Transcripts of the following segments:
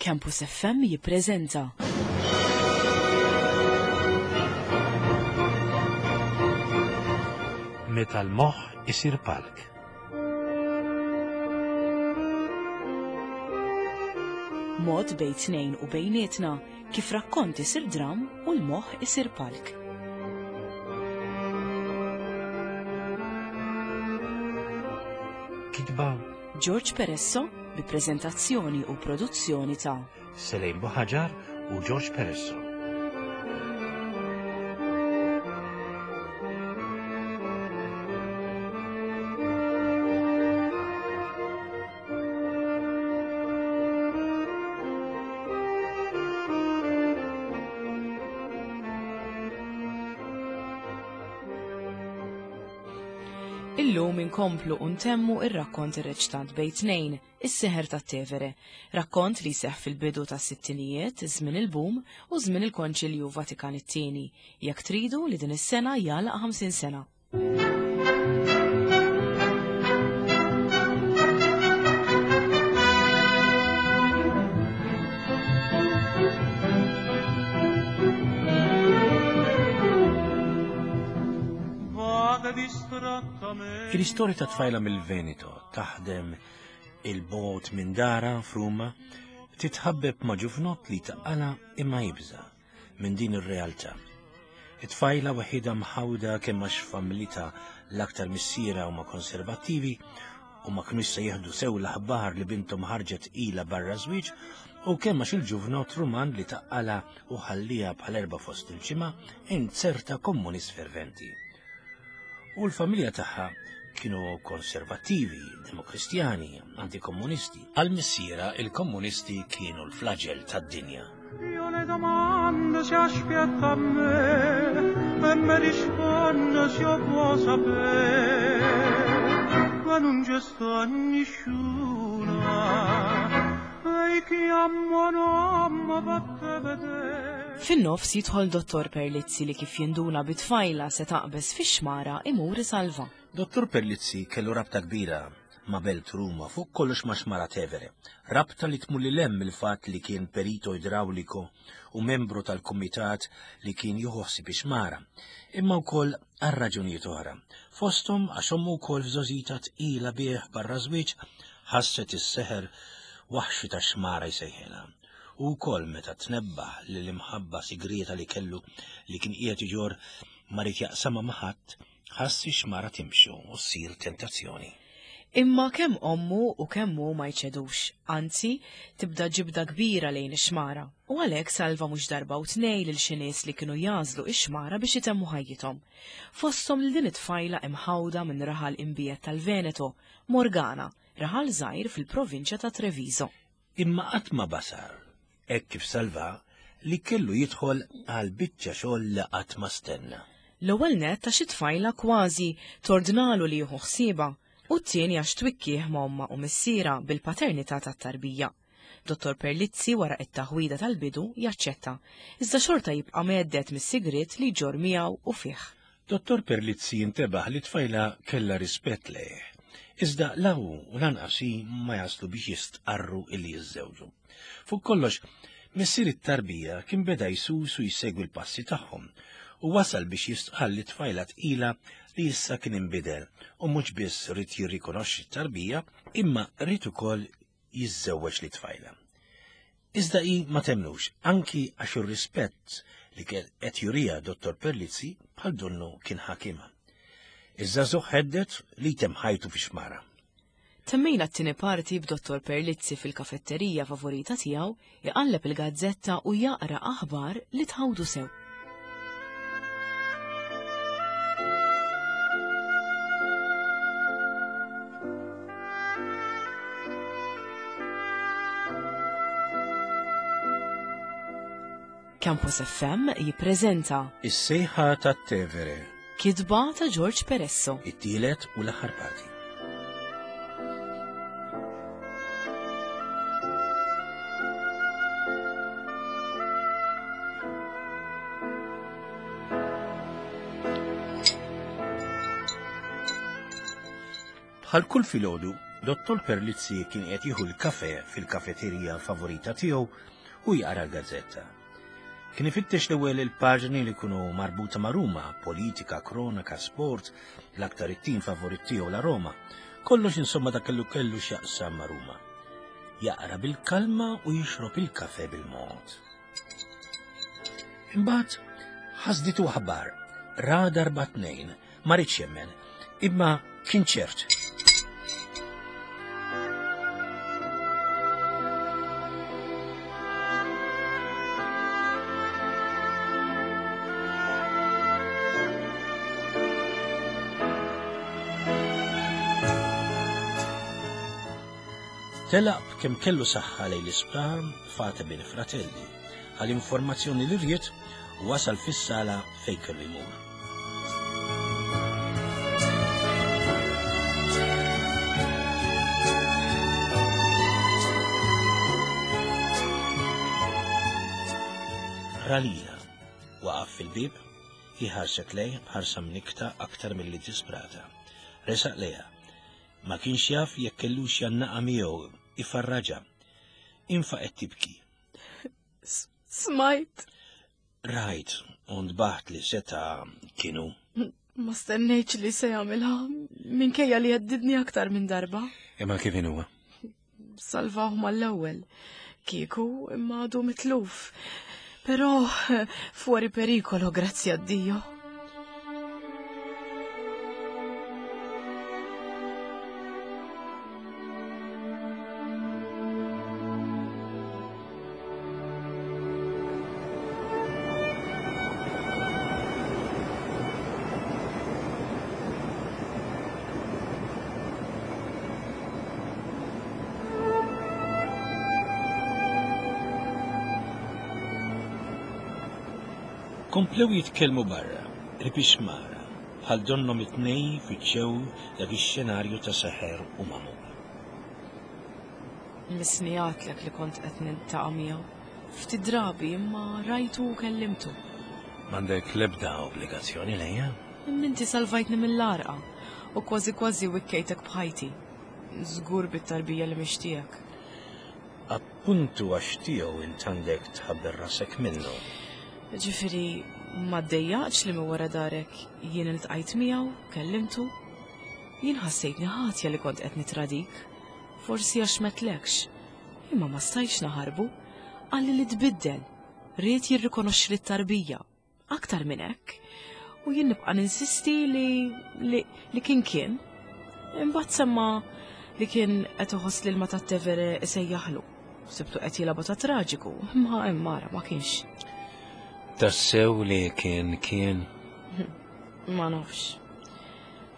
Campus FM jippreżenta. Meta l-moħħ isir palk. Mod bejn tnejn u bejnietna kif rakkont isir dram u l-moħħ isir palk. Kitba George Peresso bi preżentazzjoni u produzzjoni ta' Selejn Buħaġar u George Peresso. Illum inkomplu u ntemmu ir-rakkont irreċtat bejn tnejn, Is-Seħer tat-Tevere, rakkont li jseħħ fil-bidu tas-sittinijiet, żmien il-boom u żmien il-Konċilju Vatikan it-Tieni, jekk tridu li din is-sena jagħlaq 50 sena. Il-istorja ta' tfajla mill-Veneto taħdem il-bot minn dara f'Ruma titħabbeb ma' ġuvnott li taqala imma jibża minn din ir-realtà. It-tfajla waħida mħawda kemm għax familita l-aktar missiera huma konservattivi u ma kinux se jieħdu sew l-aħbar li binthom ħarġet ilha barra żwieġ u kemm għax il-ġuvnott Ruman li taqqala u ħallija bħal erba' fost il-ġimgħa inzerta komunist ferventi. U l-familja tagħha kienu konservattivi, demokristjani, antikomunisti. Għal missiera il-komunisti kienu l-flagell tad-dinja. Io le domando se aspetta a me e me risponde se io può sapere ma non c'è sta nessuna e chiamo nome per te vedere Fin-nofs jidħol Dottor Perlizzi li kif jinduna bi tfajla se taqbeż fix-xmara imur isalva. Dottor Perlizzi kellu rabta kbira ma' belt Ruma, fuq kollox ma' xmara Tevere. Rabta li tmur lil hemm mill-fatt li kien perito idrawliko u membru tal-kumitat li kien jieħu ħsieb ix-xmara, imma wkoll għal raġunijiet oħra. Fosthom għax ommu wkoll f'żgħożitha tqila bih barra żwieġ ħasset is-seħer waħxi tax-xmara jsejħilha. U wkoll meta tnebbaħ li l-imħabba sigrieta li kellu li kien qiegħed iġorr ma ried jaqsamha ma' ħadd, ħass ix-xmara timxi u ssir tentazzjoni. Imma kemm ommu u kemm hu ma jċedux, anzi, tibda ġibda kbira lejn ix-xmara, u għalhekk salva mhux darba u tnej lil xi nies li kienu jagħżlu ix-xmara biex itemmu ħajjithom. Fosthom lil din it-tfajla imħawda minn raħal imbiegħed tal-Veneto, Morgana, raħal żgħir fil-provinċja ta' Treviso. Imma qatt ma basar, hekk kif salva, li kellu jidħol għal biċċa xogħol li qatt ma stenna. L-ewwel nett għax it-tfajla kważi tordnalu li jieħu ħsiebha u t-tieni għax twikkieh ma' ommha u missierha bil-paternità tat-tarbija. Dottor Perlizzi wara t-taħwida tal-bidu jaċċetta, iżda xorta jibqa' mhedded mis-sigriet li jġorr miegħu u fih. Dottor Perlizzi jintebaħ li t-tfajla kellha rispett lejh, iżda la hu u lanqas hi ma jaslu biex jistqarru illi jiżżewġu. Fuq kollox, missier it-tarbija kien beda jsus u jsegwi l-passi tagħhom u wasal biex jistqarr lit-tfajla tqila li issa kien inbidel u mhux biss ried jirrikonoxxi t-tarbija imma ried ukoll jiżżewweġ lit-tfajla. Iżda hi ma temmnux, anki għax ir-rispett li kien qed juriha Dottor Perlizzi bħal donnu kien ħakimha. Iż-żagħżugħ hedded li jtemm ħajtu fix-xmara. Temmejna t-tieni parti b'Dottor Perlizzi fil-kafetterija favorita tiegħu iqalleb il-gazzetta u jaqra aħbar li tħawdu sew. Campus FM jippreżenta Is-sejħa tat-Tevere. Kitba ta' George Peresso. It-tielet u l-aħħar parti. Bħal kull filgħodu, Dottor Perlizzi kien qed jieħu l-kafe fil-kafeterija favorita tiegħu u jaqra l-gazzetta. Kien ifittex l-ewwel il-paġni li kunu marbuta ma' Ruma, politika, kronaka, sport, l-aktar it-tim favorit tiegħu la Roma. Kollox insomma dak kellu kellu x'jaqsam ma' Ruma. Jaqra bil-kalma u jixrob il-kafe bil-mod. Imbagħad ħasditu aħbar, ra darba tnejn, ma ridx jemmen, imma kien ċert. Telaq b'kemm kellu saħħa lejn l-isptar Fate Bene Fratelli għal informazzjoni li ried u wasal fis-sala fejn kellu jmur. Ralila waqaf fil-bib, hi ħarset lejh b'ħarsa mnikkta aktar milli disprata. Resaq lejha. Ma kienx jaf jekk kellux jgħannaqha miegħu, ifarraġha. Infaqgħet tibki. Smajt. Rajt, u ntbaħt li seta' kienu. Ma stennejtx li se jagħmilha minkejja li għeddidni aktar minn darba. Imma kif inhuwa? Salvaw mal-ewwel. Kieku imma għadu mitluf. Però fuori pericolo, grazzi a Dio. Komplew jitkellmu barra, qrib ix-xmara, bħal donnhom it-tnejn fittxew dak ix-xenarju ta' seħer u magħmul. Missni għadtlek li kont qed niltaqa' miegħu. Ftit drabi imma rajtu u kellimtu. M'għandek l-ebda obbligazzjoni lejja. Imma inti salvajtni mill-għarqa u kważi kważi wikkejtek b'ħajti. Żgur bit-tarbija li mhix tiegħek. Appuntu għax tiegħu int għandek tħabber rasek minnu. Ġifieri ma ddejjaqtx li minn wara darek jien iltqajt miegħu, kellimtu? Jien ħassejtni ħatja li kont qed nitradik. Forsi għax m'għedtlekx. Imma ma stajtx naħarbu. Qalli li tbiddel. Ried jirrikonoxxi lit-tarbija. Aktar minn hekk. U jien nibqa' ninsisti li li, li kien kien. Imbagħad semma li kien qed iħoss l-ilma tat-Tevere isejjaħlu. Sibtu qed jilgħabha ta' traġiku, imma hemm ara ma kienx. Tassew li kien kien? Ma nafx.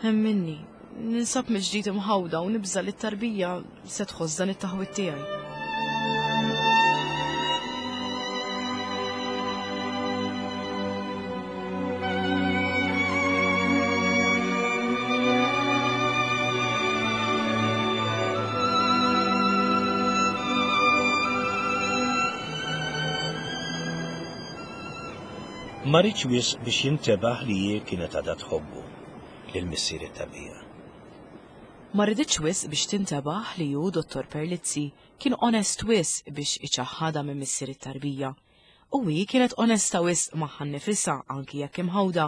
Hemm minni, ninsab mill-ġdid imħawda u nibża' li t-tarbija se tħoss dan it-taħwid tiegħi. Ma riedx wisq biex jintebaħ li hi kienet għadha tħobbu lil missier it-tarbija. Ma riditx wisq biex tintebaħ li hu, Dottor Perlizzi, kien onest wisq biex iċaħħadha minn missier it-tarbija. U hi kienet onesta wisq magħha nnifisha, anki jekk imħawda,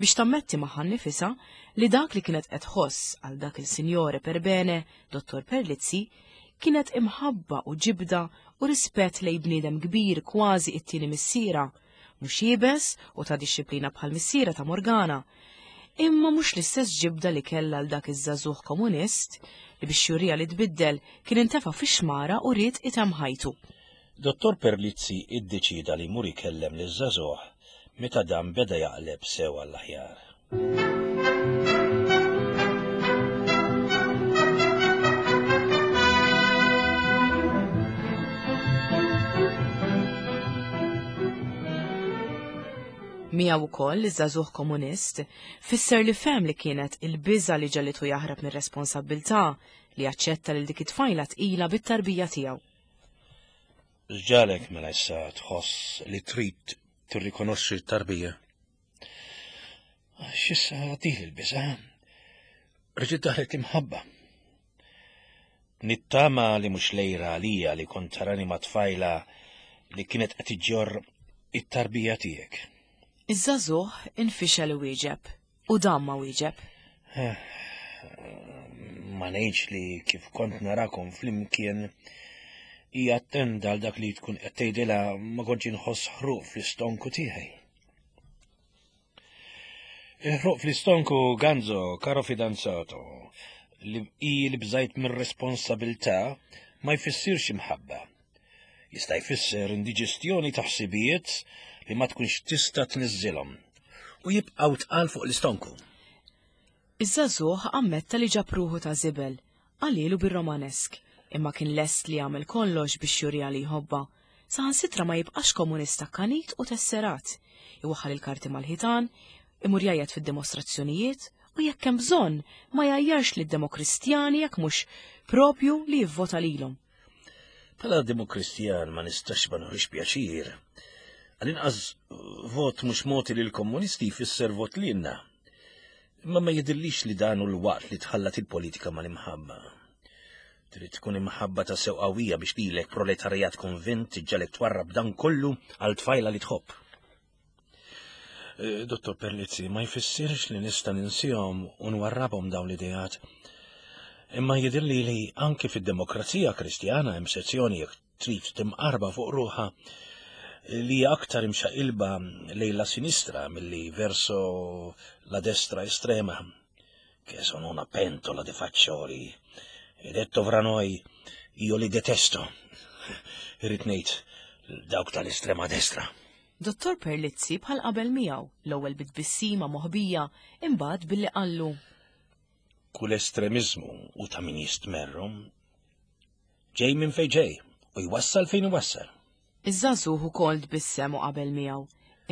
biex tammetti magħha nnifisha li dak li kienet qed tħoss għal dak il-sinjore per bene, Dottor Perlizzi, kienet imħabba u ġibda u rispett lejn bniedem kbir kważi it-tieni missierha, mhux iebes u ta' dixxiplina bħal missierha ta' Morgana, imma mhux l-istess ġibda li kellha għal dak iż-żagħżugħ komunist li biex juriha li tbiddel kien intefa' fix-xmara u ried itemm ħajtu. Dottor Perlizzi iddeċieda li jmur ikellem liż-żagħżugħ meta dan beda jaqleb sew għall-aħjar. Miegħu wkoll iż-żagħżugħ komunist fisser li fehem li kienet il-biża' li ġegħlitu jaħrab mir-responsabbiltà li jaċċetta lil dik it-tfajla tqila bit-tarbija tiegħu. X'ġagħlek mela issa tħoss li trid tirrikonoxxi t-tarbija? Għax issa għaddiet il-biża', reġgħet daħlet l-imħabba. Nittama li mhux lejra għalija li kont tarani ma' tfajla li kienet qed iġġorr it-tarbija tiegħek. Iż-żagħżugħ infixel iwieġeb u dam ma wieġeb. Eh, ma ngħidx li kif kont narakom flimkien hija attenda għal dak li tkun qed tgħidilha ma kontx inħoss ħruq fl-istonku tiegħi. Il-ħruq fl-istonku Ganzo, caro fidanzato, li hi li bżajt mir-responsabilità ma jfissirx imħabba. Jista' jfisser indiġestjoni ta' ħsibijiet li ma tkunx tista' tniżżilhom u jibqgħu tqal fuq l-istonku. Iż-żagħżugħ ammetta li ġab ruħu ta' żibel, qalhielu bir-Romanesk, imma kien lest li jagħmel kollox biex juriha li jħobbha. Saħansitra ma jibqax komunist akkanit u tesserat. Iwaħħal il-karti mal-ħitan, imur jgħajjat fid-dimostrazzjonijiet u jekk hemm bżonn ma jgħajjarx lid-Demokristjani jekk mhux propju li jivvota lilhom. Bħala Demokristjan ma nistax ma nħux pjaċir. Għal-inqas vot mhux mogħti lill-komunisti jfisser vot lilna. Imma ma jidhirlix li dan hu l-waqt li tħallat il-politika mal-imħabba. Trid tkun imħabba ta' sew qawwija biex lilek proletarjat konvint iġġalek twarrab dan kollu għal tfajla li tħobb. Eh, Dottor Perlizzi, ma jfissirx li nista' ninsihom u nwarrabhom dawn l-ideat. Imma jidhirli li anki fid-demokrazija kristjana hemm sezzjoni jekk trid timqarba fuq ruħha li hija aktar imxaqilba lejn la sinistra milli verso la destra estrema, che sono una pentola di faccioli. E detto fra noi, io li detesto. Irrid ngħid dawk tal-estrema destra. Dottor Perlizzi bħal qabel miegħu, l-ewwel bi tbissima moħbija, imbagħad billi qallu. Kull estremiżmu u ta' min jistmerru Ġej minn fejn ġej u jwassal fejn iwassal. Iż-żagħżugħ ukoll tbissem u qabel miegħu,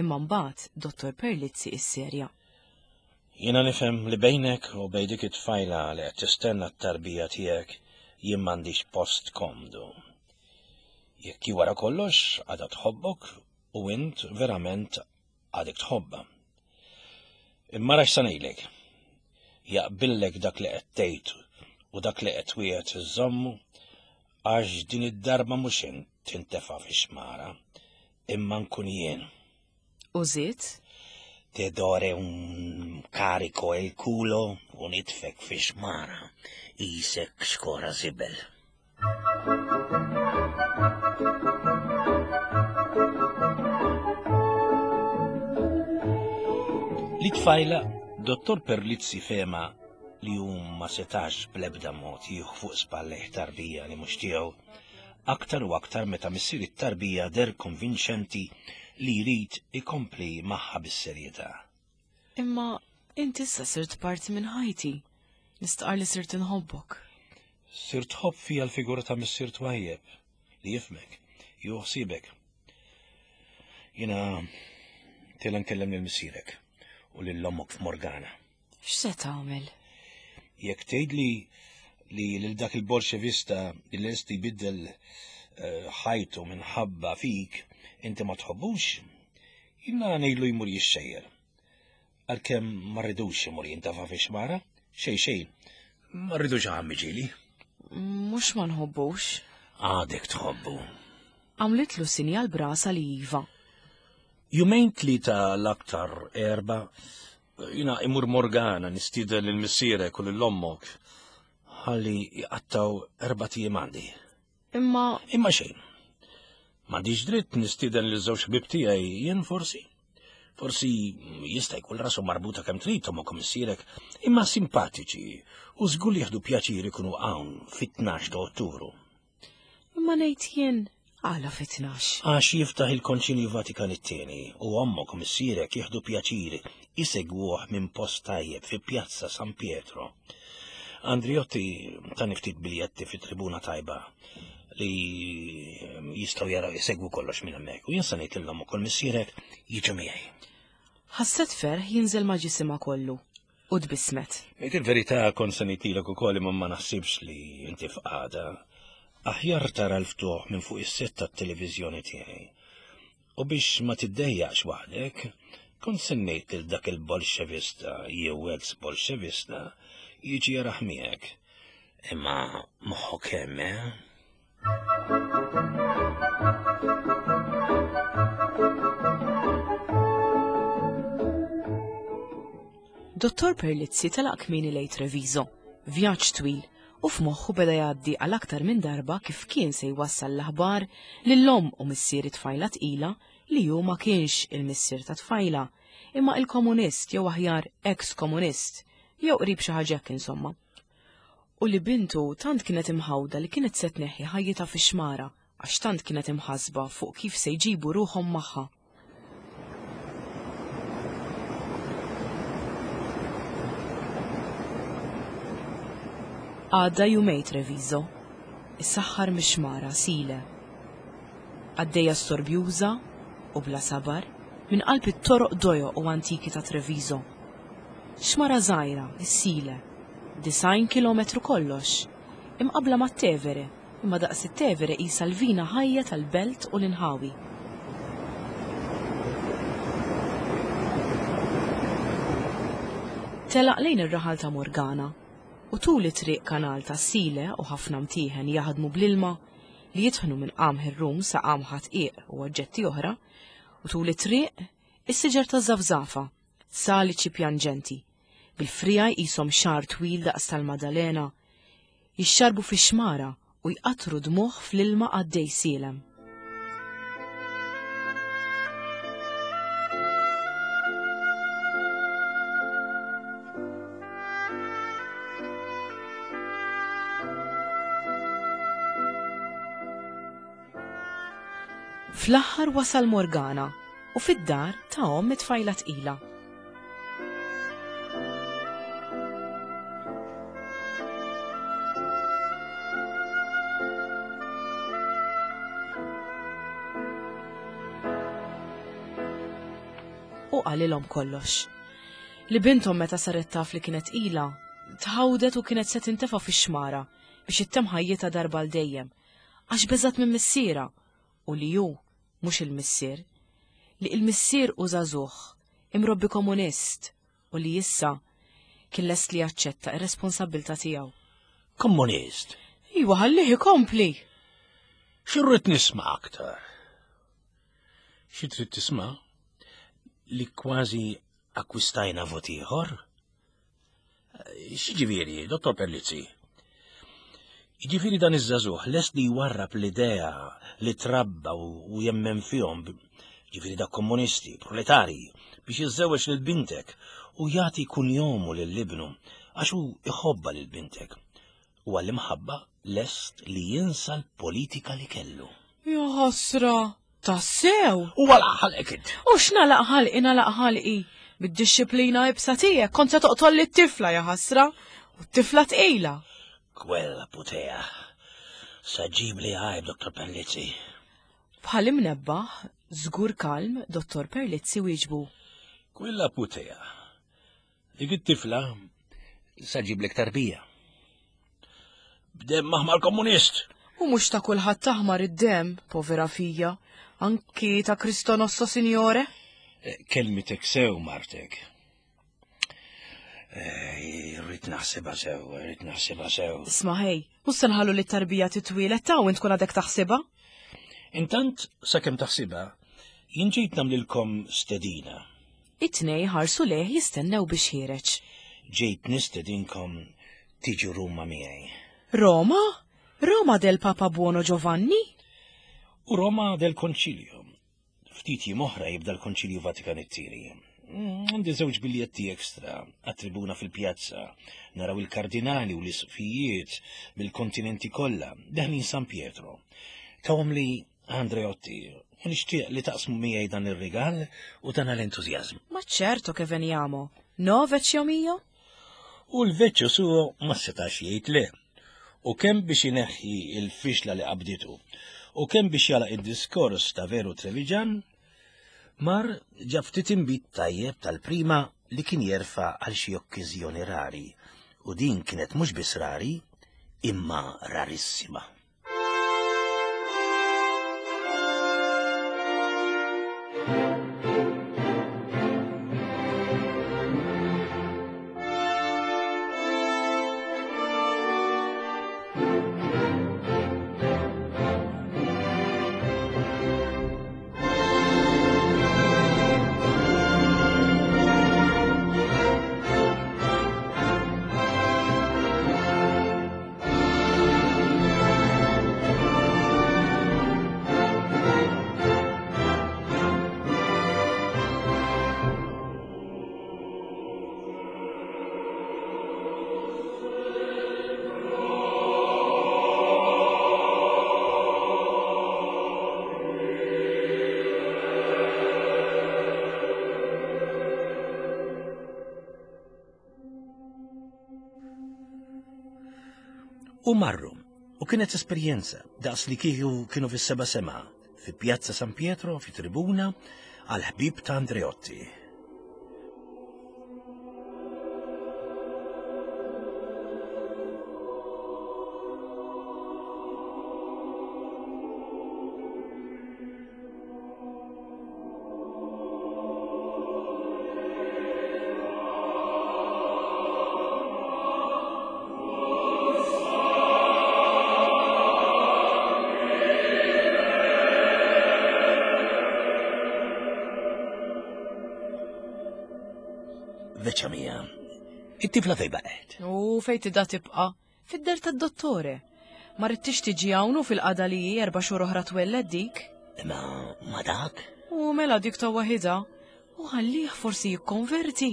imma mbagħad Dottor Perlizzi isserja. Jiena nifhem li bejnek u bejn dik it-tfajla li qed tistenna t-tarbija tiegħek jien m'għandix post komdu. Jekk hi wara kollox għadha tħobbok u int verament għadek tħobbha. Imma ara x'sa ngħidlek. Jaqbillek dak li qed tgħid u dak li qed twiegħed iżżommu għax din id-darba mhux int tintefa' fix-xmara, imma nkun jien. U żied? Te dore un carico il culo u nitfek fix-xmara qisek xkora żibel. Li tfajla, Dottor Perlizzi fema li hu ma setax bl-ebda mod jieħu fuq spallejh tarbija li mhux tiegħu, aktar u aktar meta missier it-tarbija der konvinċenti li jrid ikompli magħha bis-serjetà. Imma int issa sirt parti minn ħajti. Nistqar li sirt inħobbok. Sirt tħobb fija l-figura ta' missier twajjeb li jifmek, jieħu ħsiebek. Jiena tela nkellem lil missierek u lil ommok f'Morgana. X'se tagħmel? Jekk tgħidli li lil dak il-Bolxevista li lest jbiddel eh, ħajtu minħabba fik inti ma tħobbux, jiena ngħidlu jmur jixxejjer. Għalkemm ma rridux imur jintafa' fi xmara, xejn xejn, ma rridux għammi ġili. Mhux ma nħobbux. Għadek tħobbu. Għamlitlu sinjal brasa li iva. Jumejn tlieta l-aktar erba, jina imur Morgana nistieden lil missierek u lil ommok ħalli jqattaw erba' tijiem għandi. Imma. Imma xejn. M'għandix dritt nistieden lil żewġ ħbieb tiegħi jien forsi. Forsi jista' jkun rasu marbuta kemm trid ommok u missierek, imma simpatiċi u żgur li jieħdu pjaċir ikunu hawn fit-12 ta' Ottubru. Imma ngħid jien għala fit-12? Għax jiftaħ il-Konċilju Vatikan it-tieni u ommok u missierek jieħdu pjaċir isegwuh minn post tajjeb fi Pjazza San Pietro. Andriotti tani ftit biljetti fi tribuna tajba li jistgħu jaraw jsegwu kollox minn hemmhekk u jien se ngħid lil ukoll missierek jiġu miegħi. Ħasset ferħ jinżel ma' ġisimha kollu u tbissmet. Ngħid il-verità kont se ngħidilek ukoll imma ma naħsibx li inti f'qagħda. Aħjar tara l-ftuħ minn fuq is-sett tat-televiżjoni tiegħi. U biex ma tiddejjaqx waħdek, kont se ngħid lil dak il-Bolxevista jew ex-Bolxevista jiġi jarah miegħek. Imma moħħok hemm, eh? Dottor Perlizzi telaq kmieni lejn Treviso, vjaġġ twil, u f'moħħu beda jgħaddi għal aktar minn darba kif kien se jwassal l-aħbar lil omm u missier it-tfajla tqila li hu ma kienx il-missier tat-tfajla, imma il-komunist jew aħjar ex-komunist, jew qrib xi ħaġa hekk insomma. U li bintu tant kienet imħawda li kienet se tneħħi ħajjitha fix-xmara għax tant kienet imħassba fuq kif se jġibu ruħhom magħha. Għadda jumej Treviso, issaħħar mix-xmara Sile. Għaddejja storbjuża u bla sabar minn qalb it-toroq dojoq u antiki ta' Treviso. Xmara żgħira, is-Sile. 90 kilometru kollox. Imqabbla mat-Tevere, imma daqs it-Tevere qisha l-vina ħajja tal-belt u l-inħawi. Telaq lejn ir-raħal ta' Morgana u tul it-triq kanal tas-Sile u ħafna mtieħen jaħdmu bl-ilma li jitħnu minn qamħ ir-rum sa qamħa tqiq u oġġetti oħra u tul it-triq is-siġar taż-żafżafa saliċi pjanġenti, bil-friegħi qishom xagħar twil daqs tal-Madalena, jixxarrbu fix-xmara u jqattru dmugħ fl-ilma għaddej sielem. Fl-aħħar wasal Morgana u fid-dar ta' omm it-tfajla tqila. U qalilhom kollox. Li binthom meta saret taf li kienet tqila, tħawdet u kienet se tintefa' fix-xmara biex ittemm ħajjitha darba għal dejjem, għax beżgħet minn missierha u li hu mhux il-missier, li il-missier hu żagħżugħ, imrobbi komunist u li issa kien lest li jaċċetta r-responsabbiltà tiegħu. Komunist? Iwa, ħallih ikompli! Xi rrid nisma' aktar? Xi trid tisma'? Li kważi akkwistajna vot ieħor? X'jiġifieri, Dottor Perlizzi? Jiġifieri dan iż-żagħżugħ lest li jwarrab l-idea li trabba u jemmen fihom, ġifieri dak komunisti, proletarji, biex jiżżewweġ lil bintek u jagħti kunjomu lil ibnu għax hu iħobbha lil bintek. U għall-imħabba lest li jinsa l-politika li kellu. Ja ħasra! Tassew! U għalaq ħalqek int. U x'nalaq ħalqi nalaq ħalqi. Bid-dixxiplina ibsa tiegħek kont se toqtol lit-tifla ja ħasra. U t-tifla tqila. Kwella putea. Sa ġibli għajb, Dottor Perlizzi. Bħal imnebbaħ, żgur kalm, Dottor Perlizzi wieġbu. Kwella putea. Dik it-tifla sa ġiblek tarbija. B'demm aħmar komunist. U mhux ta' kulħadd aħmar id-demm, povera fija, anki ta' Cristo Nostro Signore. Eh, kelmitek sew, martek. Eh, rrid naħsibha sew, rrid naħsibha sew. Isma' ħej, mhux se nħallu li t-tarbija titwielet ta' u int tkun għadek taħsibha? Intant, sakemm taħsibha, jien ġejt nagħmlilkom stedina. It-tnej ħarsu lejh jistennew biex ħiereġ. Ġejt nistedinkom tiġu Ruma miegħi. Roma? Roma del Papa Buono Giovanni? U Roma del Konċilju. Ftit jiem oħra jibda l-Konċilju Vatikan it-Tieni. Mm, għandi żewġ biljetti ekstra għat-tribuna fil-pjazza. Naraw il-kardinali u l-isqfijiet mill-kontinenti kollha daħlin San Pietro. Tawhom li Andreotti, u nixtieq li taqsmu miegħi dan ir-rigal u dan l-entużjażmu. Ma ċerto che veniamo. No, vecchio mio? U l-vecchio suo ma setax jgħid le. U kemm biex ineħħi l-fixla li qabditu, u kemm biex jalaq id-diskors ta' veru Treviġan, mar ġab ftit inbid tajjeb tal-prima li kien jerfa' għal xi okkiżjoni rari, u din kienet mhux biss rari, imma rarissima. U marru, u kienet esperjenza daqs li kieku kienu fis-seba' sema, fi Pjazza San Pietro, fi tribuna, għal ħbieb ta' Andreotti. Veċa mija, it-tifla fej baqgħet? U fej tida tibqa'? Fid-dar tad-dottore. Ma ridtix tiġi hawn u fil-qagħda li hi erba' xhur oħra twelled dik. Imma ma dak? U mela dik ta' waħidha. U ħallih forsi jikkonverti.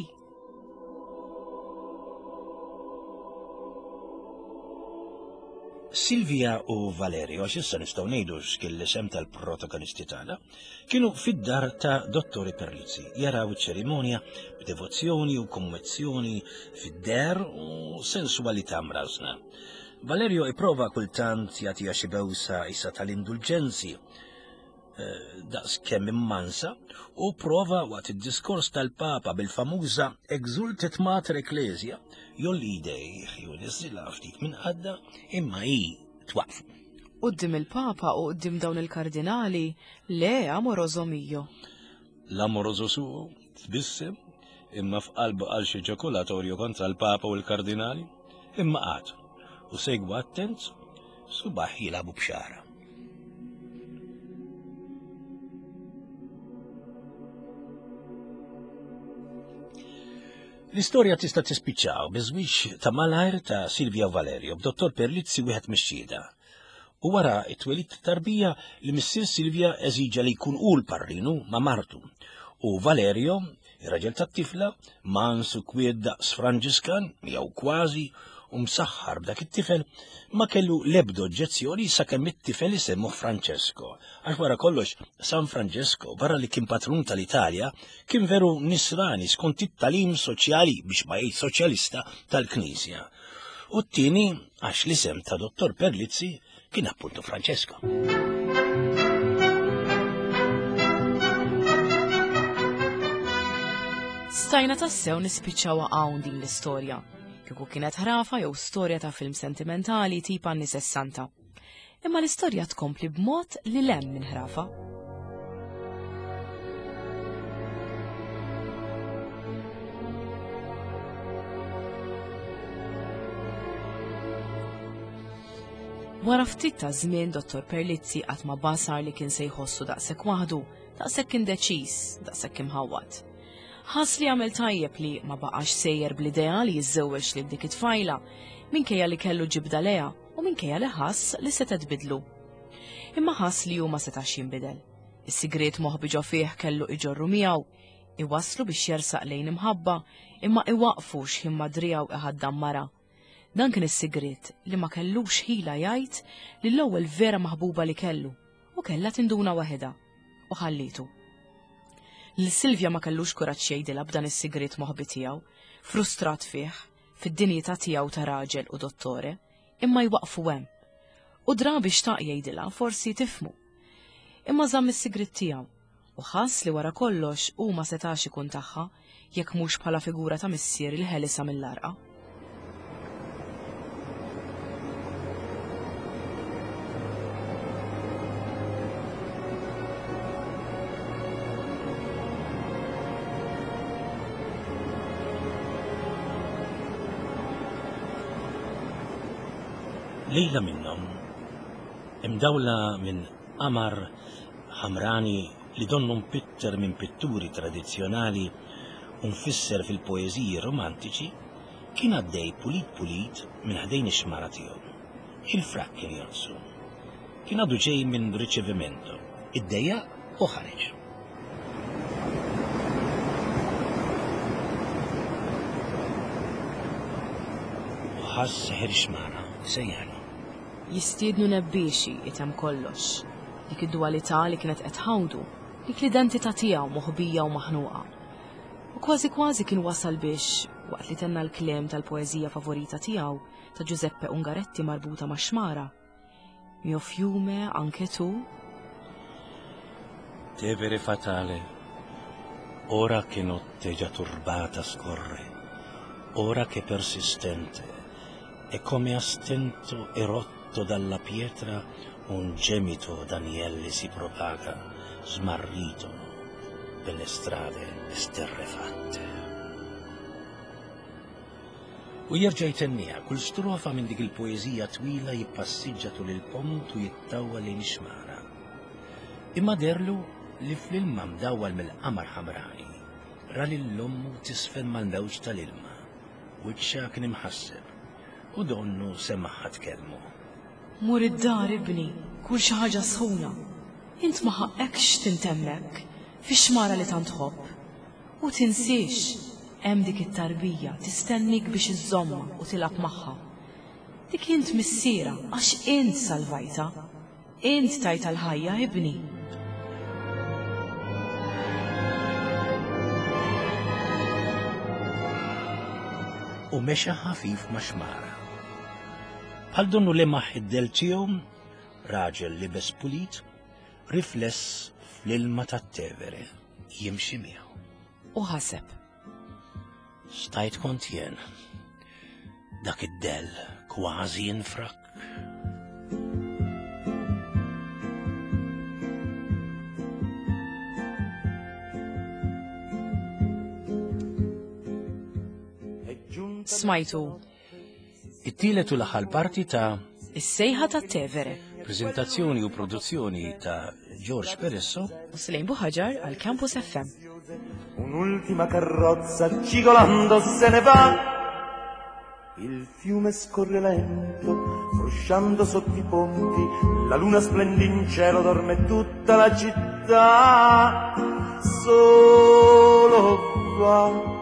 Silvia u Valerio, għax issa nistgħu ngħidu x'kien l-isem tal-protagonisti tagħna, Kienu fid-dar ta' Dottore Perlizzi, jaraw iċ-ċerimonja b'devozzjoni u kommozzjoni fid-deher u sensualità mrażżna. Valerio ipprova kultant jagħtiha xi bewsa isa tal-indulġenzi, eh, daqs kemm immansa, u prova waqt id-diskors tal-Papa bil-famuża Exultet Mater Ecclesia jolli jdejh jew niżilha ftit minn qadda imma hi twaqfu. Quddiem il-Papa u quddiem dawn il-kardinali, le, amoroso mio. L-amoroso suo, tbissem, imma f'qalbu qal xi ġakulatorju kontra l-Papa u l-kardinali, imma qagħad u segwa attent subaħ jilagħbu b'xara. L-istorja tista' tispiċċaw biż-żwieġ ta' malajr ta' Silvia u Valerio b'Dottor Perlizzi wieħed mix-xhieda. U wara t-twelid ta' tarbija li missier Silvia eżiġa li jkun hu l-parrinu ma' martu. U Valerio, ir-raġel tat-tifla, mans u kwiet daqs Franġiskan, jew kważi, u msaħħar b'dak it-tifel, ma kellu l-ebda oġġezzjoni sakemm it-tifel isemmuh Francesco. Għax wara kollox, San Francesco, barra li kien patrun tal-Italja, Kien veru nisrani skont it-tagħlim soċjali biex ma jgħid soċjalista tal-Knisja. U t-tieni għax l-isem ta' Dottor Perlizzi kien appuntu Francesco. Stajna tassew nispiċċaw hawn din l-istorja. Kieku kienet ħrafa jew storja ta' film sentimentali tip anni sessanta. Imma l-istorja tkompli b'mod li lem minn ħrafa. Wara ftit ta' żmien Dottor Perlizzi qatt ma basar li kien se jħossu daqshekk waħdu, daqshekk indeċiż, daqshekk imħawwad. Ħass li għamel tajjeb li ma baqax sejjer bl-idea li jiżżewweġ lil dik it-tfajla, minkejja li kellu ġibda lejha u minkejja li ħass li setgħet tbiddlu. Imma ħass li hu ma setax jinbidel. Is-sigriet moħbi ġo fih kellu iġorru miegħu, iwasslu biex jersaq lejn imħabba, imma iwaqqfu x'ħin ma driegħu iħaddan mara. Dan kien is-sigriet li ma kellux ħila jgħid lill-ewwel vera maħbuba li kellu u kellha tinduna waħedha u ħallietu. Lil Silvia ma kellux kuraġġ jgħidilha b'dan is-sigriet moħbi tiegħu, frustrat fih, fid-dinjità tiegħu ta' raġel u dottore, imma jwaqqfu hemm. U drabi xtaq jgħidilha forsi tifhmu. Imma żamm is-sigriet tiegħu u ħass li wara kollox hu ma setax ikun tagħha jekk mhux bħala figura ta' missier li ħelisha mill-għarqa. Lejla minnhom, imdawla minn qamar ħamrani li donnu mpitter minn pitturi tradizzjonali u mfisser fil-poeżiji romantiċi, kien għaddej pulit pulit minn ħdejn ix-xmara tiegħu. Il-frakk kien jonqsu. Kien għadu ġej minn riċevimento. Iddejjaq u ħareġ. U ħass seħer ix-xmara jsejjaħlu. Jistiednu nebbiexi itemm kollox. Dik id-duwalità li kienet qed tħawdu, dik l-identità tiegħu moħbija u maħnuqa. U kważi kważi kien wasal biex. Waqt li tenna l-kliem tal-poeżija favorita tiegħu ta' Giuseppe Ungaretti marbuta max-xmara. Mio fiume anche tu? Tevere fatale, ora che notte già turbata scorre, ora che persistente, e come a stento e rotto dalla pietra un gemito d'agnelli si propaga, smarrito per le strade esterrefatte. U jerġa' jtenniha, kull strofa minn dik il-poeżija twila jippassiġġa tul il-pont u jittawwal lejn ix-xmara. Imma deherlu li fl-ilma mdawwal mill-qamar ħamrani, ra lil ommu tiżfen mal-mewġ tal-ilma. Wiċċha kien imħasseb, u donnu semagħha tkellmu. Mur id-dar, ibni, kul xi ħaġa sħuna. Int ma ħaqqekx tintemm hekk, fix-xmara li tant tħobb. U tinsiex, hemm dik it-tarbija tistennik biex iżżommha u tilgħab magħha. Dik int missierha għax int salvajtha. Int tajtha l-ħajja, ibni. U mexa ħafif max-xmara. Bħal donnu lemaħ id-dell tiegħu, raġel libes pulit, rifless fl-ilma tat-Tevere jimxi miegħu. U ħaseb. Stajt kont jien. Dak id-dell kważi jinfrak. Smajtu. It-tielet u l-aħħar parti ta' Is-sejħa tat-Tevere. Preżentazzjoni u produzzjoni ta' George Peresso u Slejn Buħaġar għal Campus FM. Un'ultima carrozza cigolando se ne va. Il fiume scorre lento, frusciando sotto i ponti, la luna splende in cielo, dorme tutta la città. Solo va.